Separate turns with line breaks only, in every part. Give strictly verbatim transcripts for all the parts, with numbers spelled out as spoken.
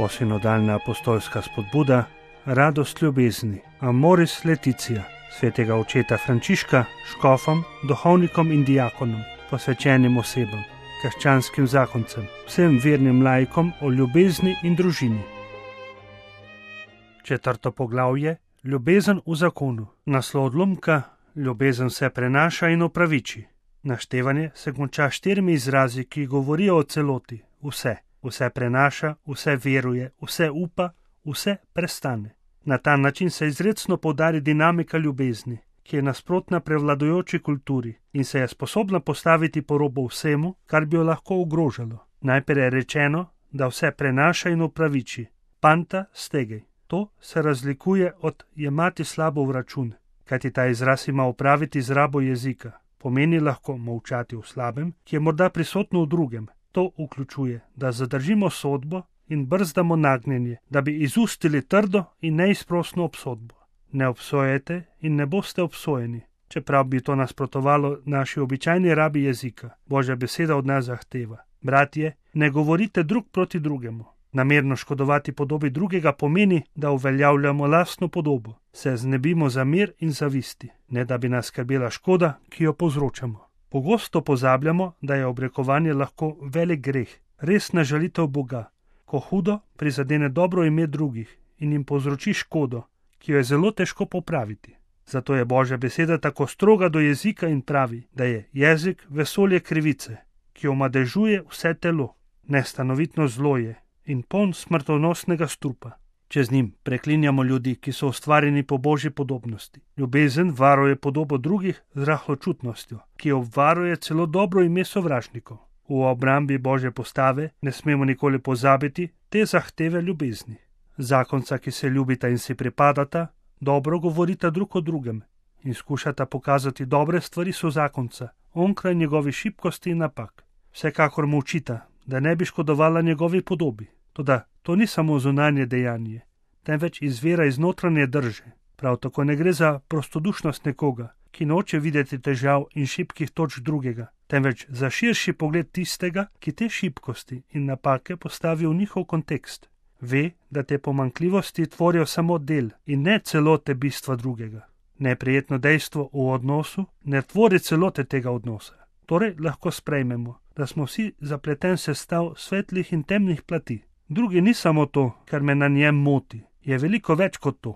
Novosinodalna apostolska spodbuda, radost ljubezni, Amoris Laetitia, svetega očeta Frančiška, škofom, duhovnikom in diakonom, posvečenim osebam, krščanskim zakoncem, vsem vernim laikom o ljubezni in družini. Četrto poglavje, ljubezen v zakonu. Naslov odlomka, ljubezen se prenaša in opraviči. Naštevanje se konča štirimi izrazi, ki govorijo o celoti, vse. Vse prenaša, vse veruje, vse upa, vse prestane. Na ta način se izrecno poudari dinamika ljubezni, ki je nasprotna prevladujoči kulturi in se je sposobna postaviti po robu vsemu, kar bi jo lahko ogrožalo. Najprej je rečeno, da vse prenaša in opraviči. Panta stegej. To se razlikuje od jemati slabo v račun, kajti ta izraz ima opraviti z rabo jezika. Pomeni lahko molčati v slabem, ki je morda prisotno v drugem. To vključuje, da zadržimo sodbo in brzdamo nagnjenje, da bi izustili trdo in neizprosno obsodbo. Ne obsojajte in ne boste obsojeni, čeprav bi to nasprotovalo naši običajni rabi jezika. Božja beseda od nas zahteva: bratje, ne govorite drug proti drugemu. Namerno škodovati podobi drugega pomeni, da uveljavljamo lastno podobo, se znebimo zamir in zavisti, ne da bi nas skrbela škoda, ki jo povzročamo. Pogosto pozabljamo, da je obrekovanje lahko velik greh, resna žalitev Boga, ko hudo prizadene dobro ime drugih in jim povzroči škodo, ki jo je zelo težko popraviti. Zato je Božja beseda tako stroga do jezika in pravi, da je jezik vesolje krivice, ki omadežuje vse telo, nestanovitno zlo je in poln smrtonosnega strupa. Če z njim preklinjamo ljudi, ki so ustvarjeni po Božji podobnosti. Ljubezen varuje podobo drugih z rahločutnostjo, ki obvaruje celo dobro ime sovražnikov. V obrambi Božje postave ne smemo nikoli pozabiti te zahteve ljubezni. Zakonca, ki se ljubita in si pripadata, dobro govorita drug o drugem in skušata pokazati dobre stvari sozakonca, onkraj njegovi šibkosti in napak. Vsekakor mu učita, da ne bi škodovala njegovi podobi. Toda to ni samo zunanje dejanje, temveč izvira iz notranje drže. Prav tako ne gre za prostodušnost nekoga, ki noče videti težav in šibkih točk drugega, temveč za širši pogled tistega, ki te šibkosti in napake postavi v njihov kontekst. Ve, da te pomanjkljivosti tvorijo samo del in ne celote bistva drugega. Neprijetno dejstvo v odnosu ne tvori celote tega odnosa. Torej lahko sprejmemo, da smo vsi zapleten sestav svetlih in temnih plati. Drugi ni samo to, kar me na njem moti, je veliko več kot to.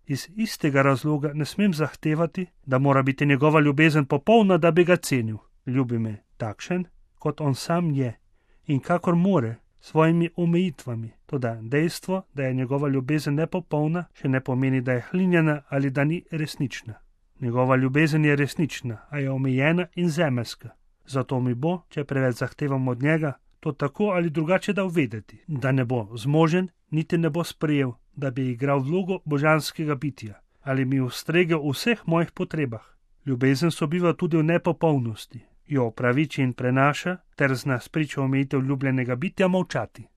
Iz istega razloga ne smem zahtevati, da mora biti njegova ljubezen popolna, da bi ga cenil. Ljubi me takšen, kot on sam je in kakor more, s svojimi omejitvami. Toda dejstvo, da je njegova ljubezen nepopolna, še ne pomeni, da je hlinjena ali da ni resnična. Njegova ljubezen je resnična, a je omejena in zemeljska. Zato mi bo, če preveč zahtevam od njega, to tako ali drugače dal vedeti, da ne bo zmožen, niti ne bo sprejel, da bi igral vlogo božanskega bitja ali mi ustregel v vseh mojih potrebah. Ljubezen sobiva tudi v nepopolnosti, jo opraviči in prenaša, ter zna spričo omejitev ljubljenega bitja molčati.